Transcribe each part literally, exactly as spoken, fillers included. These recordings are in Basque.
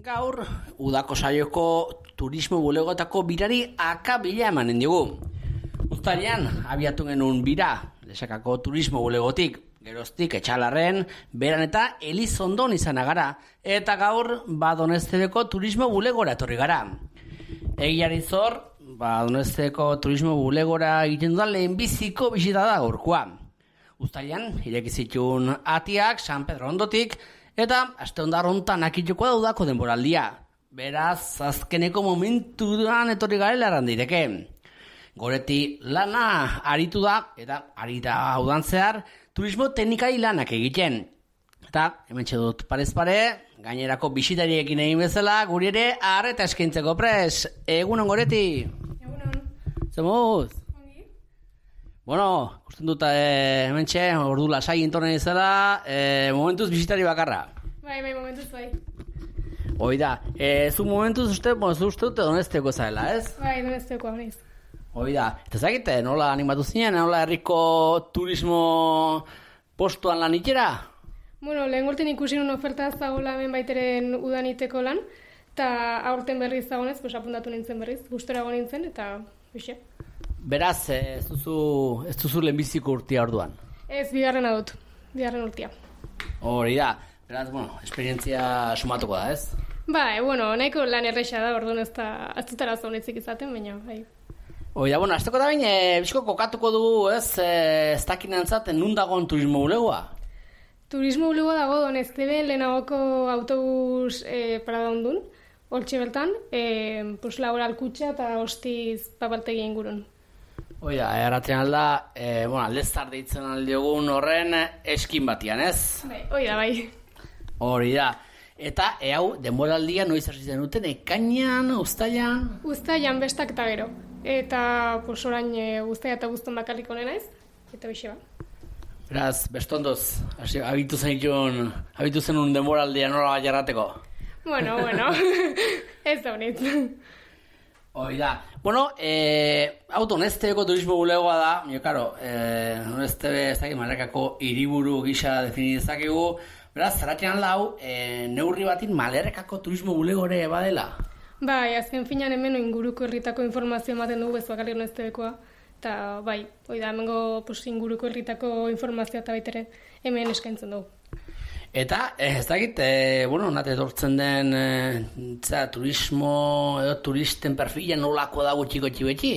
Gaur, udako saioko turismo bulegoetako birari akabila emanen digu. Uztailean, abiatu genuen bira, Lesakako turismo bulegotik, geroztik etxalarren, beran eta Elizondon izan gara, eta gaur, ba Doneztebeko turismo bulegora etorri gara. Egiari zor, ba Doneztebeko turismo bulegora egiten dudan lehenbiziko bisita da gaurkoa. Uztailean, irekizitun atiak, San Pedro ondotik, eta aste ondar hontan akituko da udako denboraldia. Beraz, azkeneko momentuan etorri garela errandireke. Goreti lana aritu da, eta arita udan zehar, turismo teknikari lanak egiten. Eta, hemen dut parez pare, gainerako bisitariekin egin bezala, guri ere arreta eskaintzeko pres. Egunon, Goreti? Egunon. Zemuz? Ongi? Bueno, usten dut e, hemen txe, ordu lasai intorne izela, e, momentuz bisitari bakarra. Bai, bai, momentuz bai. Hoi da, e, zu momentuz uste, bueno, zu uste dute Donezteko zaela, ez? Bai, Donezteko honiz. Hoi da, eta zakite, nola animatu zinen, nola herriko turismo postuan lan itxera? Bueno, lehen gorten ikusi nun oferta zagoela hemen baiteren udaniteko lan, eta aurten berriz zagonez, pues apuntatu nintzen berriz, gustora go nintzen, eta bixe. Beraz, ez duzu, ez duzu lehenbiziko urtia orduan? Ez, bigarrena dut, bigarren urtia. Hori da, beraz, bueno, esperientzia sumatuko da, ez? Bai, bueno, nahiko lan erresa da, orduan ez da, ez dut arazo honetzik izaten, baina, bai. Hoi da, bueno, azteko da baina, e, bizko kokatuko dugu, ez, e, ez dakinantzaten nun dagoen turismo bulegoa? Turismo bulegoa dago Donezteben lehenagoko autobus e, parada ondun, hortxe bertan, e, pues, laboral kutxa eta hostiz papaltegi ingurun. Hoi da, erratzen alda, e, bueno, aldeztar deitzen aldiogun horren eskin batian, ez? Bai, hoi da, bai. Hori da. Eta, e hau, denboraldia noiz hasi zen duten, ekainan, uztailan? Uztailan bestak eta gero. Eta, pues, orain e, uztaila eta guzton bakarrik onena ez, eta bixe ba. Beraz, bestondoz, hasi, abitu zenitun, abitu zenun denboraldia nola bat jarrateko? Bueno, bueno, ez da honit. Hoi da. Bueno, e, hau Doneztebeko turismo bulegoa da, jo, karo, e, Doneztebe ez dakit Malerrekako hiriburu gisa definizakegu, beraz, zerratzean lau, e, neurri batin Malerrekako turismo bulegore badela? Bai, azken finan hemen inguruko herritako informazio ematen dugu, ez bakarrik Doneztebekoa, eta bai, hoi da, hemengo pues, inguruko herritako informazioa eta baitere hemen eskaintzen dugu. Eta, ez dakit, e, bueno, nate etortzen den e, za, turismo edo turisten perfila nolako da gutxiko txibetxi?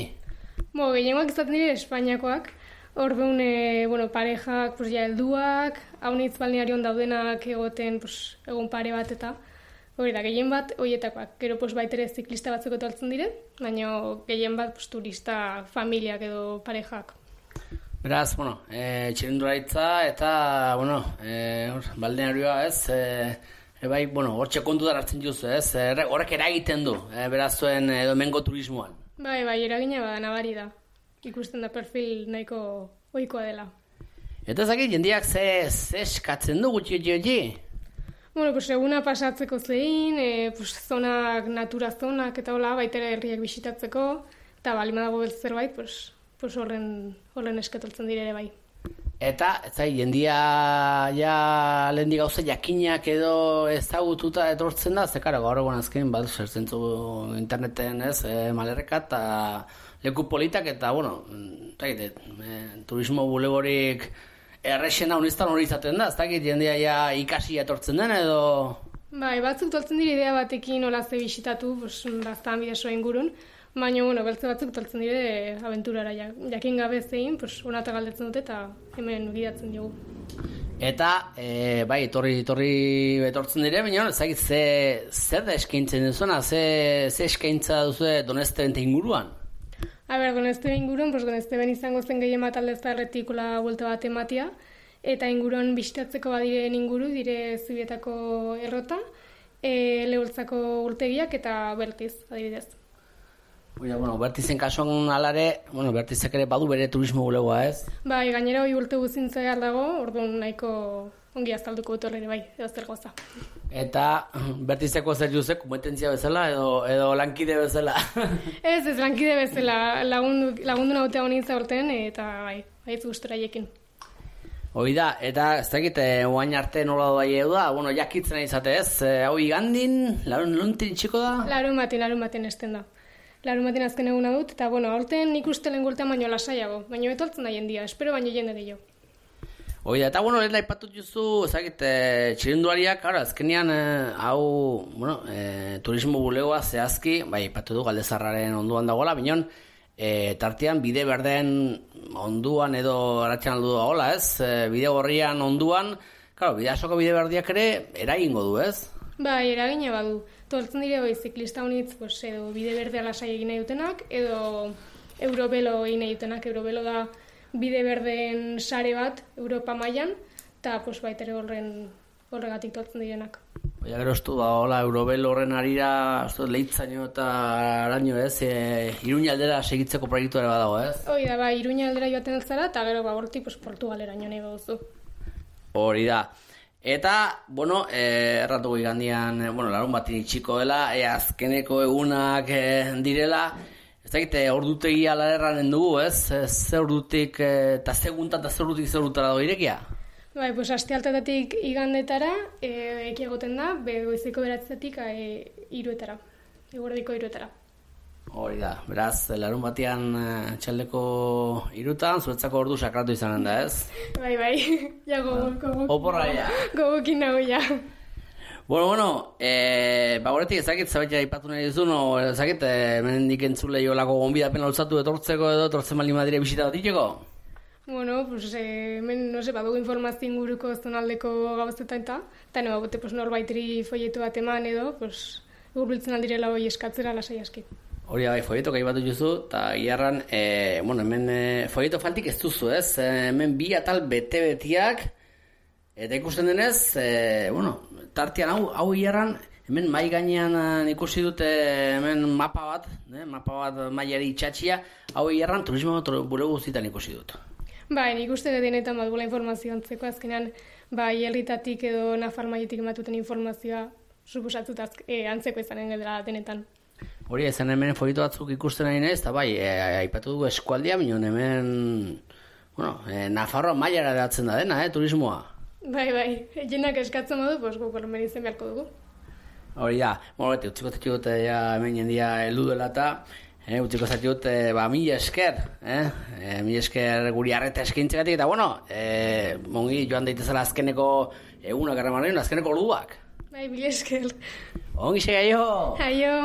Bo, gehiengoak izaten dire Espainiakoak, orduan, e, bueno, parejak, pues, ja, helduak, haunitz balnearion daudenak egoten, pues, egun pare bat eta, hori da, gehien bat, horietakoak. Gero, pues, baitere ziklista batzuk etortzen dire, baina gehien bat, pues, turista familiak edo parejak. Beraz, bueno, e, txirindularitza eta, bueno, e, balnearioa, ez, e, e, bai, bueno, hortxe kontu da hartzen duzu, ez, e, horrek eragiten du, e, beraz zuen e, domengo turismoan. Bai, bai, eragina bada, nabari da. Ikusten da perfil nahiko ohikoa dela. Eta ezakit, jendiak ze, ze eskatzen du gutxi gutxi gutxi? Bueno, pues eguna pasatzeko zein, e, pues, zonak, natura zonak eta hola, baitere herriak bisitatzeko, eta balima dago beltz zerbait, pues, pues horren, horren eskatoltzen dire ere bai. Eta, ez zai, jendia ja lehendi gauza jakinak edo ezagututa etortzen da, zekara gaur egon azken bat zertzen zu interneten, ez, e, Malerreka eta leku politak eta, bueno, e, turismo bulegorik errexena uniztan hori izaten da, ez dakit jendia ja ikasi etortzen den edo... Bai, batzuk toltzen dire idea batekin hola ze bisitatu, pues, baztan bidesoa ingurun, baina, bueno, beltze batzuk toltzen dire abenturara, jakin gabe zein, pues, onata galdetzen dute eta hemen gidatzen dugu. Eta, e, bai, etorri, etorri etortzen dire, baina, ezagit, ze, zer da eskaintzen duzuna, ze, ze eskaintza duzu Donezteben inguruan? A ber, Donezteben inguruan, pues, Donezteben izango zen gehien bat aldeztarretik ola buelta bat ematia, eta inguruan bisitatzeko badiren inguru, dire Zubietako errota, e, Leholtzako urtegiak eta Bertiz, adibidez. Oida, bueno, Bertizen kasuan alare, bueno, Bertizek ere badu bere turismo bulegoa, ez? Bai, gainera hori urte guzintza behar dago, orduan nahiko ongi azalduko dut horre bai, edo zer goza. Eta Bertizeko zer juzek, kompetentzia bezala edo, edo lankide bezala? Ez, ez lankide bezala, lagundu, lagundu nautea honin zaurten, eta bai, baitz gustora jekin. Hoi da, eta ez dakit, oain arte nola doa da, bueno, jakitzen izate ez, hau igandin, larun luntin txiko da? Larun batin, larun batin esten da. Larun batin azken eguna dut, eta bueno, aurten nik uste lehen gultean baino lasaiago, baino etoltzen da jendia, espero baino jende gehiago. Hoi da, eta bueno, lehen aipatut juzu, ez dakit, e, txirinduariak, claro, azkenean, e, hau, bueno, e, turismo bulegoa zehazki, bai, aipatu du Galdezarraren onduan dagoela, binon, e, tartean bide berden onduan edo aratxan aldu dagoela, ez? E, bide gorrian onduan, claro, bidasoko bide berdiak ere eragingo du, ez? Bai, eragina badu. Toltzen dire hoi ziklista honitz, pues, edo bide berdea lasai egin nahi dutenak, edo Eurobelo egin nahi dutenak. Eurobelo da bide berden sare bat Europa mailan, eta pues, baitere horren horregatik toltzen direnak. Oia gero estu da, hola, Eurobelo horren arira, estu, lehitzaino eta araño, ez? E, Iruña aldera segitzeko proiektu ere badago, ez? Hoi da, bai, Iruña aldera joaten altzara, eta gero ba, hortik pues, Portugalera nahi baduzu. Hori da. Eta, bueno, eh, erratu igandian, eh, bueno, larun batin itxiko dela, e, azkeneko egunak eh, direla, ez dakit, ordutegi ala erranen dugu, ez? Ze ordutik, eta ze guntan, eta ze ordutik ze ordutara dago irekia? Bai, pues aste altetatik igandetara, e, eki egoten da, goizeko beratzetik e, iruetara, eguerdiko iruetara. Hori da, beraz, larun batean uh, txaldeko irutan, zuretzako ordu sakratu izanen da, ez? Bai, bai, ja gogokin. Oporra, ja. Gogokin nago, ja. Bueno, bueno, eh, ba, horretik ezakit, zabetia ipatu nahi duzu, no, ezakit, eh, menendik entzule jolako gonbidapen altzatu etortzeko edo, etortzen bali madire bisita bat itxeko? Bueno, pues, eh, men, no se, badugu informazio inguruko zonaldeko gauzetan eta, eta no, bote, pues, norbaitri folietu bat eman edo, pues, urbiltzen aldirela hoi eskatzera lasai aski. Hori bai, folieto gai bat duzu, eta giarran, e, bueno, hemen e, folieto faltik ez duzu, ez? E, hemen bi atal bete-betiak, eta ikusten denez, e, bueno, tartean hau, hau giarran, hemen mai gainean ikusi dute hemen mapa bat, ne? Mapa bat mailari itxatxia, hau giarran turismo bulego guztietan ikusi dut. Bai, nik uste denetan bat gula informazio antzeko, azkenean, bai, herritatik edo Nafar mailetik ematuten informazioa, suposatut e, antzeko izanen dela denetan. Hori, ezen hemen folieto batzuk ikusten nahi nahiz, eta bai, e, aipatu dugu eskualdia, minon hemen, bueno, e, Nafarroa mailara datzen da dena, eh, turismoa. Bai, bai, jenak eskatzen badu, pues, guk horren izan beharko dugu. Hori da, bueno, beti, utziko zati dut, ja, hemen jendia heldu dela eta, eh, utziko zati dut, e, ba, mila esker, eh, e, mila esker guri arreta eskaintzegatik, eta, bueno, e, mongi joan daitezela azkeneko egunak arremanen, azkeneko orduak. Bai, mila esker. Ongi sega, aio! Aio!